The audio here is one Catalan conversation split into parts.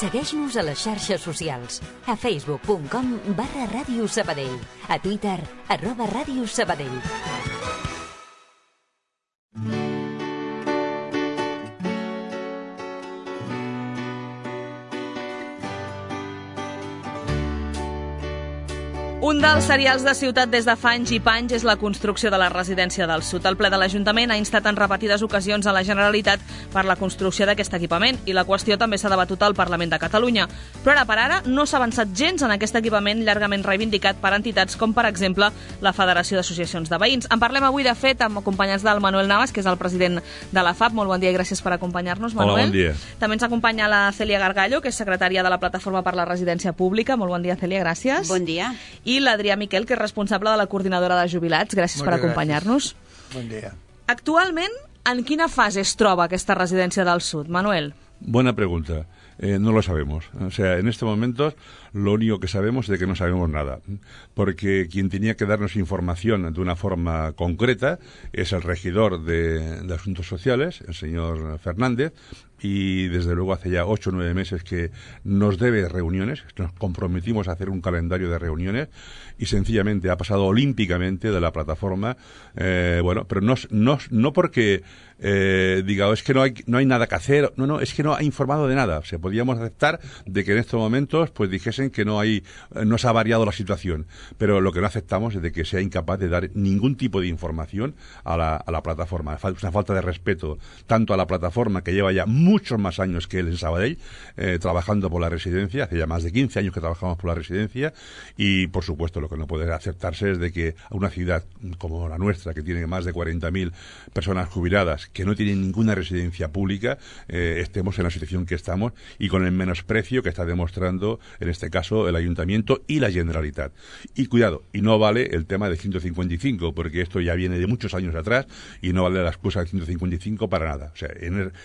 Segueix-nos a les xarxes socials. A facebook.com/Ràdio Sabadell. A Twitter, @Ràdio Sabadell. Un dels serials de ciutat des de fa anys i panys és la construcció de la residència del Sud. El ple de l'Ajuntament ha instat en repetides ocasions a la Generalitat per la construcció d'aquest equipament i la qüestió també s'ha debatut al Parlament de Catalunya. Però ara per ara no s'ha avançat gens en aquest equipament llargament reivindicat per entitats com, per exemple, la Federació d'Associacions de Veïns. En parlem avui, de fet, amb acompanyats del Manuel Navas, que és el president de la FAP. Molt bon dia i gràcies per acompanyar-nos, Manuel. Hola, bon dia. També ens acompanya la Cèlia Gargallo, que és secretària de la Plataforma per la Residència Pública. Molt bon dia, Cèlia, gràcies. Bon dia. I l'Adrià Miquel, que és responsable de la coordinadora de jubilats. Gràcies per acompanyar-nos. Bon dia. Actualment, en quina fase es troba aquesta residència del Sud, Manuel? Buena pregunta. No lo sabemos. O sea, en este momento lo único que sabemos es de que no sabemos nada. Porque quien tenía que darnos información de una forma concreta es el regidor de Asuntos Sociales, el señor Fernández, y desde luego hace ya 8 o 9 meses que nos debe reuniones, nos comprometimos a hacer un calendario de reuniones y sencillamente ha pasado olímpicamente de la plataforma, bueno, pero no porque diga, es que no hay nada que hacer, no, es que no ha informado de nada. O sea, podíamos aceptar de que en estos momentos pues dijesen que no se ha variado la situación, pero lo que no aceptamos es de que sea incapaz de dar ningún tipo de información a la plataforma. Es una falta de respeto tanto a la plataforma, que lleva ya muchos más años que él en Sabadell, trabajando por la residencia, hace ya más de 15 años que trabajamos por la residencia, y por supuesto lo que no puede aceptarse es de que a una ciudad como la nuestra, que tiene más de 40.000 personas jubiladas, que no tienen ninguna residencia pública, estemos en la situación que estamos y con el menosprecio que está demostrando en este caso el Ayuntamiento y la Generalitat. Y cuidado, y no vale el tema de 155, porque esto ya viene de muchos años atrás y no vale la excusa de 155 para nada. O sea,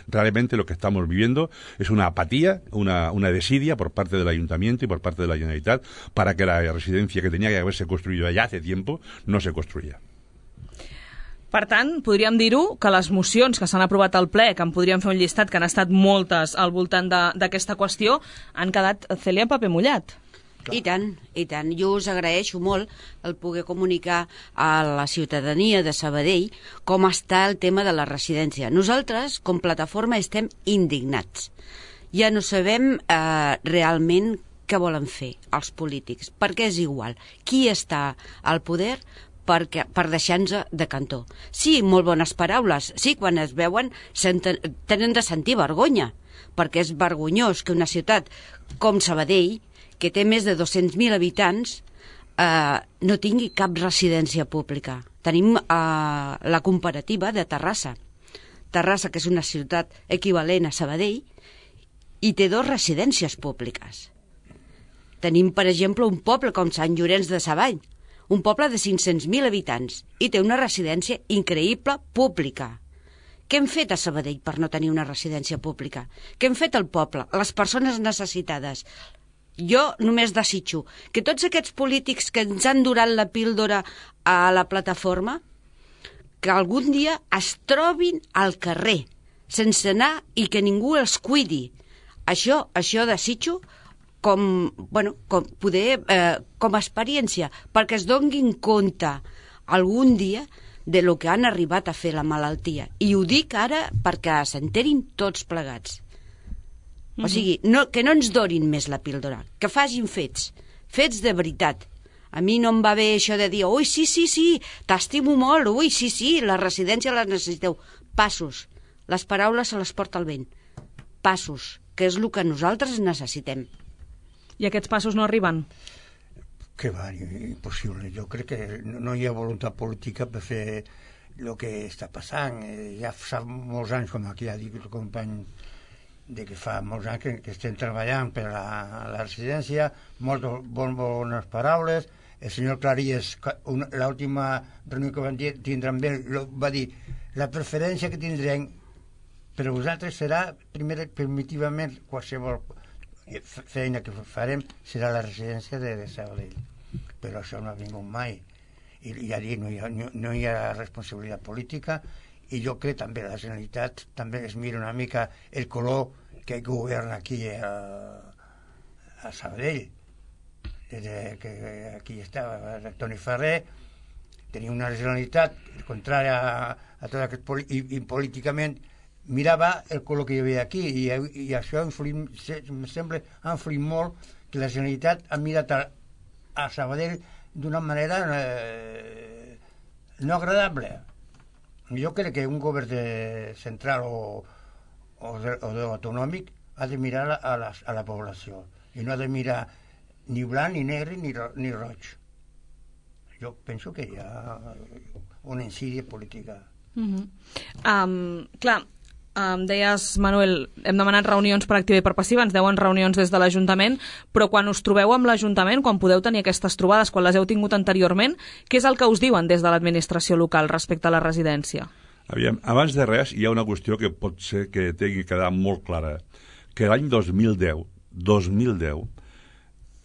realmente lo que estamos viviendo es una apatía, una desidia por parte del Ayuntamiento y por parte de la Generalitat para que la residencia que tenía que haberse construido ya hace tiempo no se construya. Per tant, podríem dir-ho que les mocions que s'han aprovat al ple, que en podríem fer un llistat, que han estat moltes al voltant d'aquesta qüestió, han quedat, Cèlia, en paper mullat. I tant, i tant. Jo us agraeixo molt el poder comunicar a la ciutadania de Sabadell com està el tema de la residència. Nosaltres, com plataforma, estem indignats. Ja no sabem realment què volen fer els polítics, perquè és igual qui està al poder per deixar-nos de cantó. Sí, molt bones paraules. Sí, quan es veuen tenen de sentir vergonya, perquè és vergonyós que una ciutat com Sabadell, que té més de 200.000 habitants, no tingui cap residència pública. Tenim la comparativa de Terrassa. Terrassa, que és una ciutat equivalent a Sabadell, i té 2 residències públiques. Tenim, per exemple, un poble com Sant Llorenç de Savall, un poble de 500.000 habitants, i té una residència increïble pública. Què hem fet a Sabadell per no tenir una residència pública? Què hem fet al poble? Les persones necessitades. Jo només desitjo que tots aquests polítics que ens han durat la píldora a la plataforma, que algun dia es trobin al carrer, sense anar i que ningú els cuidi. Això desitjo com a experiència, perquè es donguin compte algun dia de lo que han arribat a fer la malaltia. I ho dic ara perquè s'enterin tots plegats. O sigui, que no ens donin més la píldora, que facin fets de veritat. A mi no em va bé això de dir, ui, sí, t'estimo molt, ui, sí, la residència la necessiteu. Passos, les paraules se les porta el vent. Passos, que és el que nosaltres necessitem. I aquests passos no arriben? Que va, impossible. Jo crec que no hi ha voluntat política per fer el que està passant. Ja fa molts anys, com aquí ha dit el company, que fa molts anys que estem treballant per a la residència, moltes bones paraules. El senyor Claries, l'última reunió que van tindre amb ell, va dir, la preferència que tindrem per a vosaltres serà, primer, primitivament, qualsevol feina que farem serà la residència de Sabadell, però això no ha vingut mai, i ja dic, no hi ha responsabilitat política, i jo crec també la Generalitat també es mira una mica el color que governa aquí a Sabadell, des que aquí estava Toni Ferrer, tenia una Generalitat contrària a tot aquest i políticament mirava el que hi havia aquí i això em sembla ha influït molt que la Generalitat ha mirat a Sabadell d'una manera no agradable. Jo crec que un govern central o autonòmic ha de mirar a la població i no ha de mirar ni blanc, ni negre, ni roig. Jo penso que hi ha una insídia política. Clar, deies, Manuel, hem demanat reunions per activa i per passiva, ens deuen reunions des de l'Ajuntament, però quan us trobeu amb l'Ajuntament, quan podeu tenir aquestes trobades, quan les heu tingut anteriorment, què és el que us diuen des de l'administració local respecte a la residència? Aviam, abans de res, hi ha una qüestió que pot ser que tingui que quedar molt clara, que l'any 2010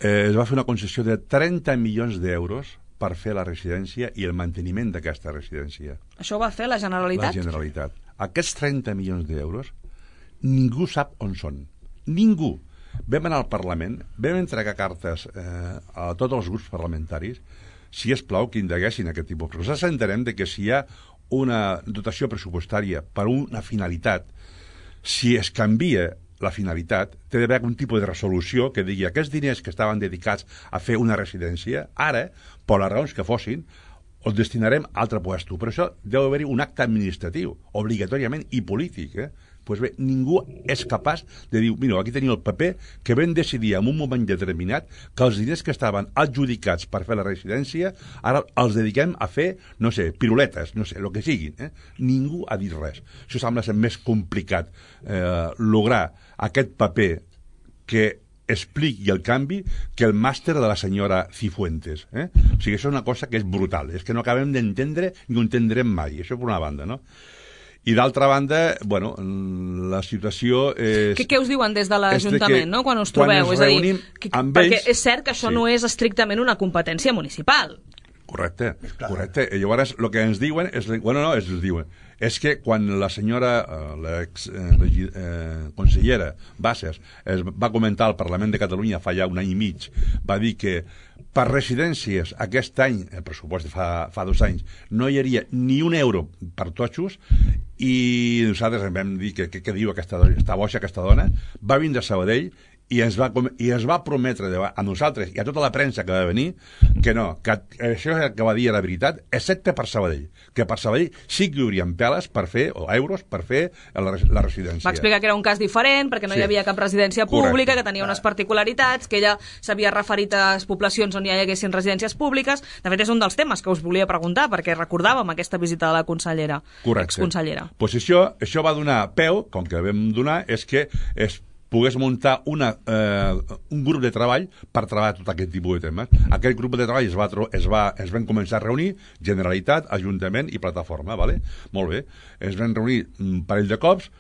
es va fer una concessió de 30 milions d'euros per fer la residència i el manteniment d'aquesta residència. Això ho va fer la Generalitat? La Generalitat. Aquests 30 milions d'euros ningú sap on són. Ningú. Vam anar al Parlament, vam entregar cartes a tots els grups parlamentaris, si es plau que indaguessin aquest tipus. Però nosaltres entenem que si hi ha una dotació pressupostària per una finalitat, si es canvia la finalitat, té d'haver algun tipus de resolució que digui aquests diners que estaven dedicats a fer una residència, ara, per les raons que fossin, els destinarem a altre puesto. Per això deu haver-hi un acte administratiu, obligatòriament, i polític. Pues bé, ningú és capaç de dir, mira, aquí teniu el paper que vam decidir en un moment determinat que els diners que estaven adjudicats per fer la residència ara els dediquem a fer, no sé, piruletes, no sé, el que siguin. Ningú ha dit res. Això sembla ser més complicat lograr aquest paper que expliqui el canvi que el màster de la senyora Cifuentes. O sigui, això és una cosa que és brutal, és que no acabem d'entendre ni ho entendrem mai, això per una banda, no? I d'altra banda, bueno, la situació és... Què us diuen des de l'Ajuntament, no?, quan us trobeu? Quan ens reunim amb ells... Perquè és cert que això no és estrictament una competència municipal. Correcte, correcte. I llavors el que ens diuen és... Bueno, no, ens diuen... És que quan la senyora, consellera Bassas, va comentar al Parlament de Catalunya fa ja un any i mig, va dir que per residències aquest any, el pressupost de fa 2 anys, no hi hauria ni un euro per totxos, i nosaltres vam dir que què diu aquesta boixa, aquesta dona, va vindre a Sabadell i es va prometre a nosaltres i a tota la premsa que va venir que no, que això que va dir era veritat, excepte per Sabadell, que per Sabadell sí que hi haurien peles per fer, o euros per fer la residència. Va explicar que era un cas diferent, perquè no hi havia cap residència pública, que tenia unes particularitats, que ella s'havia referit a poblacions on hi haguessin residències públiques. De fet, és un dels temes que us volia preguntar, perquè recordàvem aquesta visita de la consellera, exconsellera. Pues això va donar peu, com que vam donar, és que pogués muntar un grup de treball per treballar tot aquest tipus de temes. Aquest grup de treball es van començar a reunir Generalitat, Ajuntament i Plataforma, vale? Molt bé. Es van reunir un parell de cops,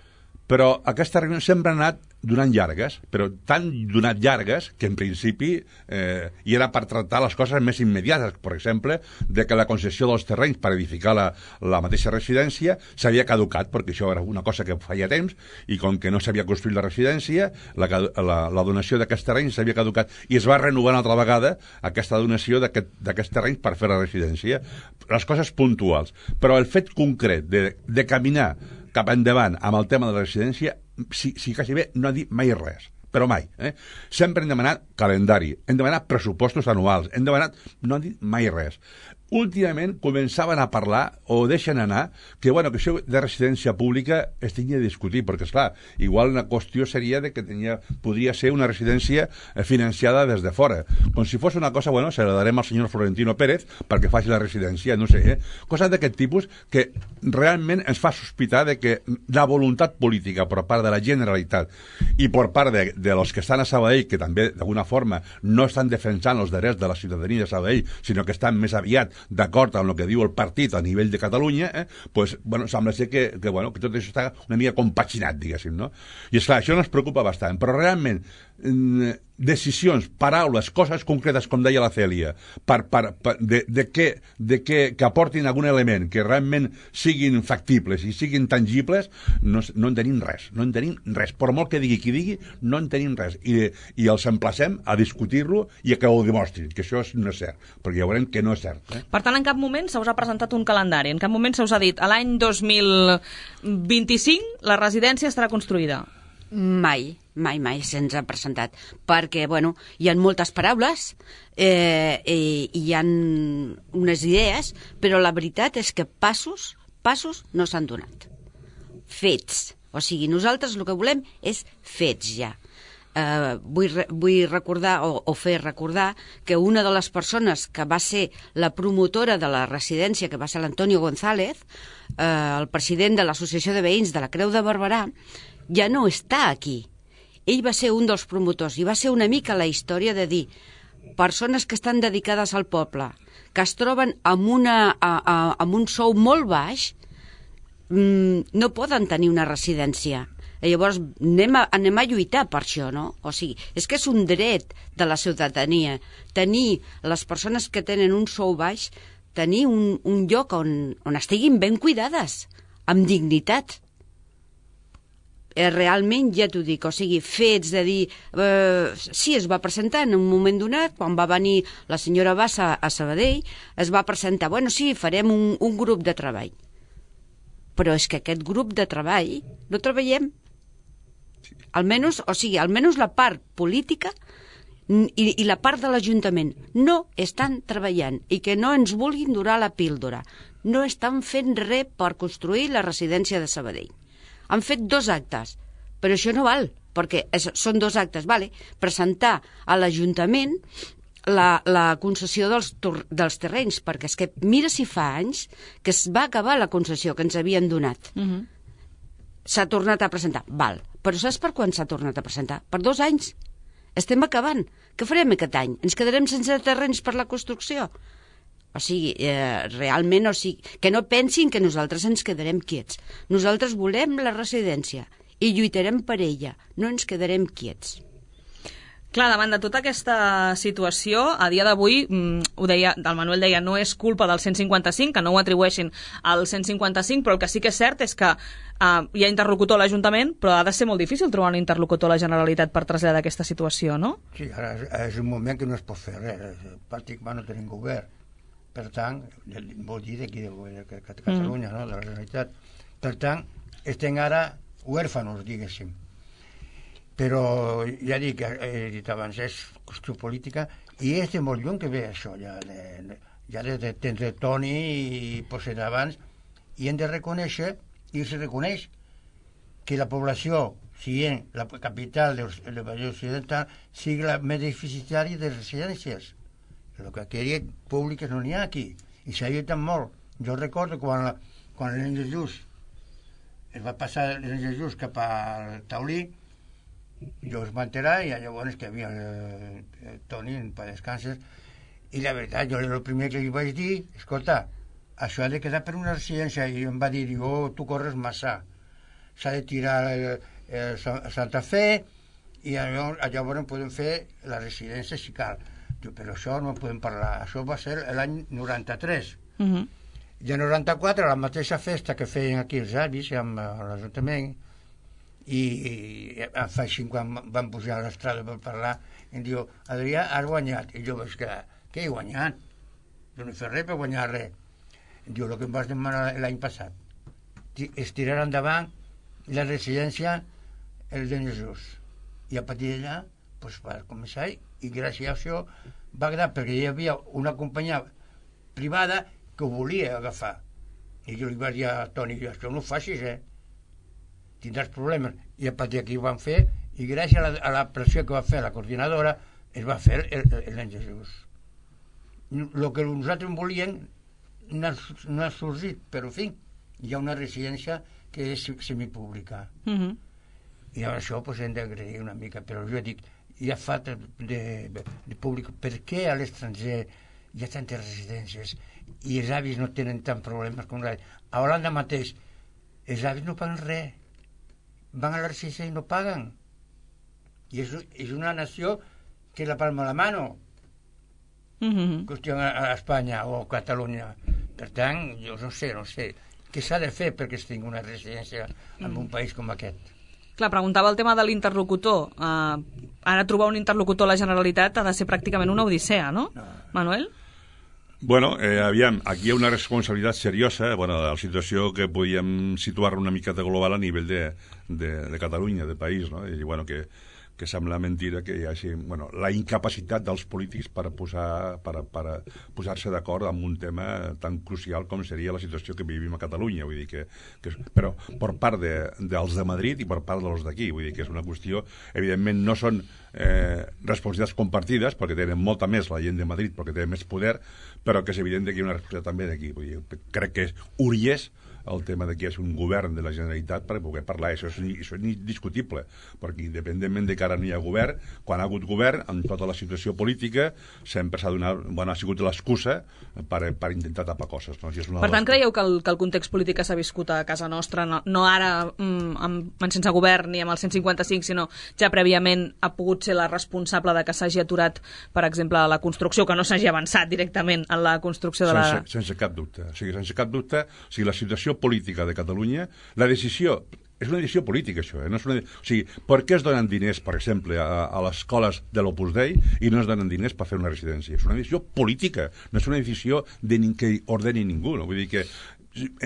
però aquesta reunió sempre ha anat donant llargues, però tan donat llargues que en principi hi era per tractar les coses més immediates, per exemple, de que la concessió dels terrenys per edificar la mateixa residència s'havia caducat, perquè això era una cosa que feia temps, i com que no s'havia construït la residència, la donació d'aquests terrenys s'havia caducat, i es va renovar una altra vegada aquesta donació d'aquests terrenys per fer la residència. Les coses puntuals. Però el fet concret de caminar cap endavant amb el tema de la residència, si quasi bé no ha dit mai res, però mai. Sempre hem demanat calendari, hem demanat pressupostos anuals, no han dit mai res. Últimament començaven a parlar, o deixen anar, que això de residència pública es tenia de discutir, perquè, esclar, igual una qüestió seria de que podria ser una residència financiada des de fora. Com si fos una cosa, se la darem al senyor Florentino Pérez perquè faci la residència, no sé, coses d'aquest tipus que realment ens fa sospitar de que la voluntat política per part de la Generalitat i per part de los que estan a Sabadell, que també d'alguna forma no estan defensant els drets de la ciutadania de Sabadell, sinó que estan més aviat d'acord amb el que diu el partit a nivell de Catalunya, sembla ser que tot això està una mica compaginat, diguéssim, no? I esclar, això ens preocupa bastant, però realment decisions, paraules, coses concretes, com deia la Cèlia, que aportin algun element, que realment siguin factibles i siguin tangibles, no en tenim res, per molt que digui qui digui, no en tenim res, i els emplacem a discutir-lo i a que ho demostrin, que això no és cert, perquè ja veurem que no és cert. Per tant, en cap moment se us ha presentat un calendari, en cap moment se us ha dit a l'any 2025 la residència estarà construïda. Mai se'ns ha presentat, perquè, hi ha moltes paraules, hi ha unes idees, però la veritat és que passos no s'han donat. Fets. O sigui, nosaltres el que volem és fets ja. Vull recordar o fer recordar que una de les persones que va ser la promotora de la residència, que va ser l'Antonio González, el president de l'Associació de Veïns de la Creu de Barberà, ja no està aquí. Ell va ser un dels promotors i va ser una mica la història de dir persones que estan dedicades al poble, que es troben amb un sou molt baix, no poden tenir una residència. Llavors anem a lluitar per això, no? O sigui, és que és un dret de la ciutadania tenir les persones que tenen un sou baix, tenir un lloc on estiguin ben cuidades, amb dignitat. Realment, ja t'ho dic, o sigui, fets de dir... sí, es va presentar en un moment donat, quan va venir la senyora Bassa a Sabadell, es va presentar, sí, farem un grup de treball. Però és que aquest grup de treball no treballem. Almenys la part política i la part de l'Ajuntament no estan treballant i que no ens vulguin donar la píldora. No estan fent res per construir la residència de Sabadell. Han fet 2 actes, però això no val, perquè són 2 actes, presentar a l'Ajuntament la concessió dels terrenys, perquè és que mira si fa anys que es va acabar la concessió que ens havien donat. S'ha tornat a presentar, però saps per quan s'ha tornat a presentar? Per 2 anys. Estem acabant. Què farem aquest any? Ens quedarem sense terrenys per la construcció? O sigui, realment, que no pensin que nosaltres ens quedarem quiets. Nosaltres volem la residència i lluitarem per ella, no ens quedarem quiets. Clar, davant de tota aquesta situació, a dia d'avui, el Manuel deia, no és culpa del 155, que no ho atribueixin al 155, però el que sí que és cert és que hi ha interlocutor a l'Ajuntament, però ha de ser molt difícil trobar un interlocutor a la Generalitat per traslladar aquesta situació, no? Sí, ara és un moment que no es pot fer res, pràcticament no tenim govern. Per tant, vol dir d'aquí de Catalunya, no? De la Generalitat. Per tant, estem ara huérfanos, diguéssim. Però ja dic, he dit abans, és qüestió política i és de molt lluny que ve això, ja de Toni i potser d'abans, i hem de reconèixer, i se reconeix, que la població, sent la capital del Vallès Occidental, sigui la més deficitària de residències. El que queria públiques no n'hi ha aquí, i s'ha lluitat molt. Jo recordo quan l'Elena Jesús es va passar l'Elena Jesús cap al Taulí, jo es va enterar i llavors que havia el Toni per descanses, i la veritat, jo el primer que li vaig dir, escolta, això ha de quedar per una residència, i em va dir, tu corres massa, s'ha de tirar Santa Fe i llavors podem fer la residència si cal. Però això no podem parlar, això va ser l'any 93. I en 94, la mateixa festa que feien aquí els avis amb l'Ajuntament, i fa així quan van pujar a l'estrada per parlar, em diu, Adrià, has guanyat. I jo vaig quedar, què he guanyat? Jo no he fet res per guanyar res. Em diu, el que em vas demanar l'any passat, és tirar endavant la residència el de Jesús. I a partir d'allà, va començar, i gràcies a això va quedar, perquè hi havia una companyia privada que ho volia agafar. I jo li vaig dir a Toni, això no ho facis, tindràs problemes. I a partir d'aquí ho van fer, i gràcies a la pressió que va fer la coordinadora, es va fer l'any Jesús. El que nosaltres volíem no ha sorgit, però en fi, hi ha una residència que és semipública. I amb això hem d'agrair una mica, però jo dic, hi ha falta de públic. Per què a l'estranger hi ha tantes residències i els avis no tenen tant problemes com l'altre? A Holanda mateix, els avis no paguen res. Van a la residència i no paguen. I és una nació que la palma a la mano, qüestió a Espanya o a Catalunya. Per tant, jo no sé què s'ha de fer perquè es tingui una residència en un país com aquest. Clar, preguntava el tema de l'interlocutor. Ara trobar un interlocutor a la Generalitat ha de ser pràcticament una odissea, no? Manuel? Bueno, aviam, aquí hi ha una responsabilitat seriosa, la situació que podíem situar una miqueta global a nivell de Catalunya, de país, no? I que sembla mentira que hi hagi la incapacitat dels polítics per posar-se d'acord amb un tema tan crucial com seria la situació que vivim a Catalunya, vull dir però per part dels de Madrid i per part dels d'aquí, vull dir que és una qüestió, evidentment no són responsabilitats compartides perquè tenen molta més la gent de Madrid perquè tenen més poder, però que és evident que hi ha una responsabilitat també d'aquí, vull dir, crec que és urgent el tema de que és un govern de la Generalitat per poder parlar, això és indiscutible, perquè independentment de que ara no hi ha govern, quan ha hagut govern, amb tota la situació política, sempre s'ha donat, ha sigut l'excusa per intentar tapar coses. No? Per tant, creieu que el context polític que s'ha viscut a casa nostra, no ara sense govern ni amb el 155, sinó ja prèviament ha pogut ser la responsable de que s'hagi aturat, per exemple, la construcció, que no s'hagi avançat directament en la construcció de la... Sense cap dubte. Sense cap dubte, la situació política de Catalunya, la decisió és una decisió política, això. No és per què es donen diners, per exemple, a les escoles de l'Opus Dei i no es donen diners per fer una residència? És una decisió política, no és una decisió que ordeni ningú. No? Vull dir que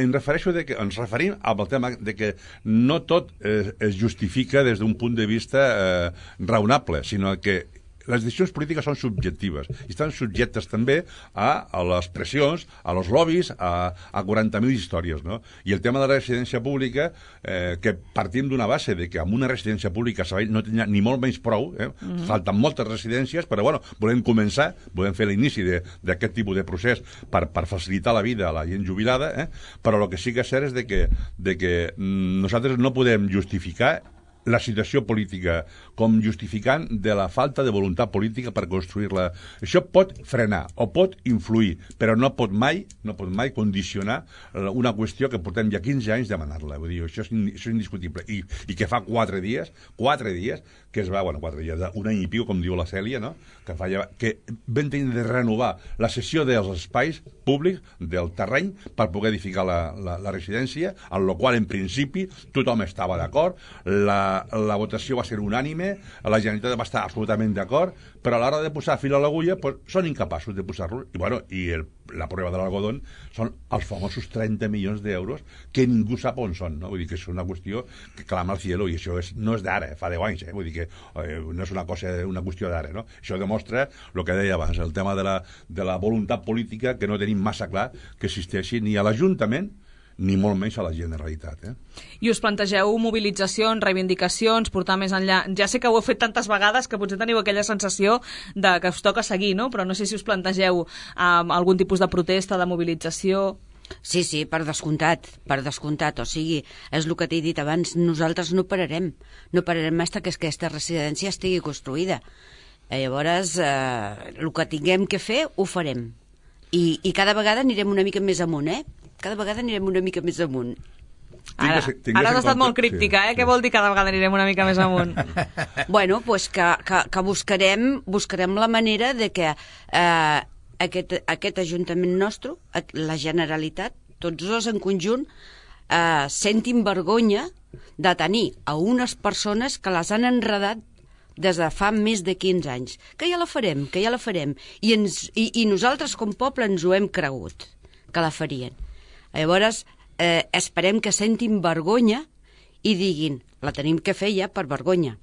ens referim al tema de que no tot es justifica des d'un punt de vista raonable, sinó que les decisions polítiques són subjectives i estan subjectes també a les pressions, a los lobbies, a 40.000 històries, no? I el tema de la residència pública, que partim d'una base de que amb una residència pública no tenia ni molt menys prou, falten moltes residències, però volem començar, volem fer l'inici d'aquest tipus de procés per facilitar la vida a la gent jubilada, però el que sí que és cert és de que nosaltres no podem justificar la situació política com justificant de la falta de voluntat política per construir-la. Això pot frenar o pot influir, però no pot mai condicionar una qüestió que portem ja 15 anys demanant-la. Vull dir, això és indiscutible. I que fa 4 dies que es va, 4 dies, un any i piu, com diu la Cèlia, no? que vam tenir de renovar la cessió dels espais públics, del terreny, per poder edificar la residència, en la qual, en principi, tothom estava d'acord, la votació va ser unànime, la Generalitat va estar absolutament d'acord, però a l'hora de posar fil a l'agulla són incapaços de posar-lo. I la prova de l'algodón són els famosos 30 milions d'euros que ningú sap on són. No? Vull dir que és una qüestió que clama al cielo, i això no és d'ara, fa 10 anys. Vull dir que no és una qüestió d'ara. No? Això demostra el que deia abans, el tema de la voluntat política, que no tenim massa clar que existeixi ni a l'Ajuntament ni molt menys a la Generalitat. I us plantegeu mobilitzacions, reivindicacions, portar més enllà? Ja sé que ho heu fet tantes vegades que potser teniu aquella sensació de que us toca seguir, no? Però no sé si us plantegeu algun tipus de protesta, de mobilització... Sí, per descomptat. O sigui, és el que t'he dit abans, nosaltres no pararem fins que aquesta residència estigui construïda. Llavors, el que tinguem que fer, ho farem. I cada vegada anirem una mica més amunt, Cada vegada anirem una mica més amunt. Ara has estat molt críptica, sí. Què vol dir cada vegada anirem una mica més amunt? Bueno, pues que buscarem la manera de que aquest Ajuntament nostre, la Generalitat, tots dos en conjunt, sentin vergonya de tenir a unes persones que les han enredat des de fa més de 15 anys. Que ja la farem. I nosaltres, com a poble, ens ho hem cregut, que la farien. Llavors, esperem que sentin vergonya i diguin, la tenim que fer ja per vergonya.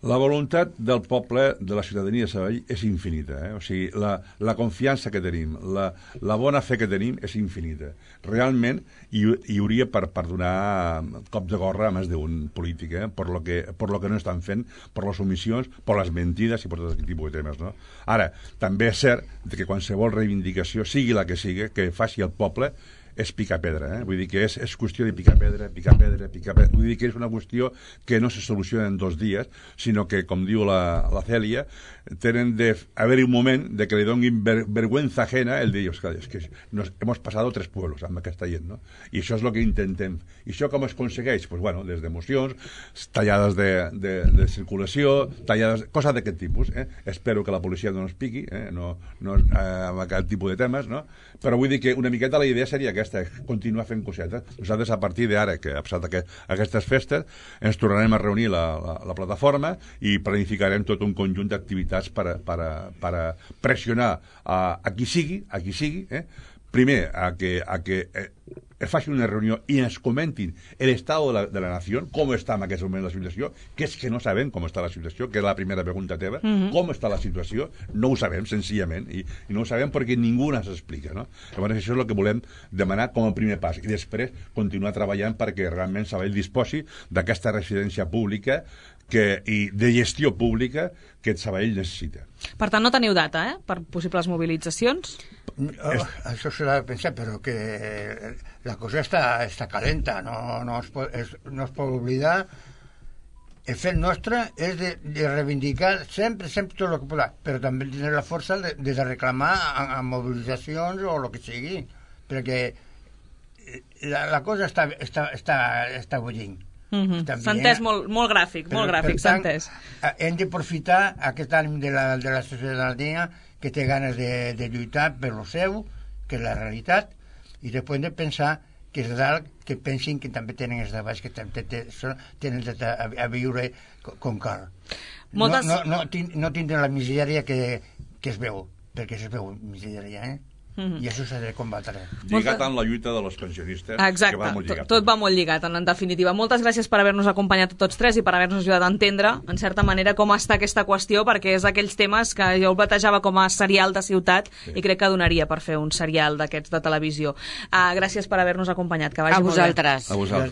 La voluntat del poble, de la ciutadania de Sabadell, és infinita. O sigui, la confiança que tenim, la bona fe que tenim és infinita. Realment, hi hauria per donar cop de gorra a més d'un polític, per lo que no estan fent, per les omissions, per les mentides i per tot aquest tipus de temes. No? Ara, també és cert que qualsevol reivindicació, sigui la que sigui, que faci el poble, és picar pedra, vull dir que és qüestió de picar pedra, vull dir que és una qüestió que no se soluciona en 2 dies, sinó que, com diu la Cèlia, tenen de haver un moment de que li donin vergüenza ajena el dir, ostres, és que hemos pasado 3 pueblos amb aquesta gent, no? I això és el que intentem. I això com es aconsegueix? Pues bueno, des d'emocions, tallades de circulació, tallades, coses d'aquest tipus. Espero que la policia no ens piqui, no amb aquest tipus de temes, no? Però vull dir que una miqueta la idea seria aquesta, continuar fent cosetes. Nosaltres, a partir d'ara, que ha passat aquestes festes, ens tornarem a reunir la plataforma i planificarem tot un conjunt d'activitats per pressionar a qui sigui, primer, a que es faci una reunió i ens comentin l'estat de la nació, com està en aquest moment la situació, que és que no sabem com està la situació, que és la primera pregunta teva, com està la situació, no ho sabem, senzillament, i no ho sabem perquè ningú ens explica, no? Llavors això és el que volem demanar com a primer pas, i després continuar treballant perquè realment Sabadell disposi d'aquesta residència pública i de gestió pública que Sabadell necessita. Per tant, no teniu data, per possibles mobilitzacions? Això s'ha de pensar, però que la cosa està calenta, no es pot oblidar. El fet nostre és de reivindicar sempre tot el que podrà, però també tenir la força de reclamar a mobilitzacions o el que sigui, perquè la cosa està bullint. S'ha entès molt gràfic, s'ha entès. Hem d'aprofitar aquest ànim de la ciutadania que té ganes de lluitar per lo seu, que és la realitat, i després hem de pensar que és dalt, que pensin que també tenen els de baix, que tenen a viure com cal. No tindran la misèria que es veu, perquè es veu misèria, i això s'ha de combatre. Lligat amb la lluita de los pensionistes. Exacte, que va molt lligat. Tot va molt lligat, en definitiva. Moltes gràcies per haver-nos acompanyat tots 3 i per haver-nos ajudat a entendre, en certa manera, com està aquesta qüestió, perquè és d'aquells temes que jo el platejava com a serial de ciutat i crec que donaria per fer un serial d'aquests de televisió. Gràcies per haver-nos acompanyat. Que vagi a vosaltres. A vosaltres.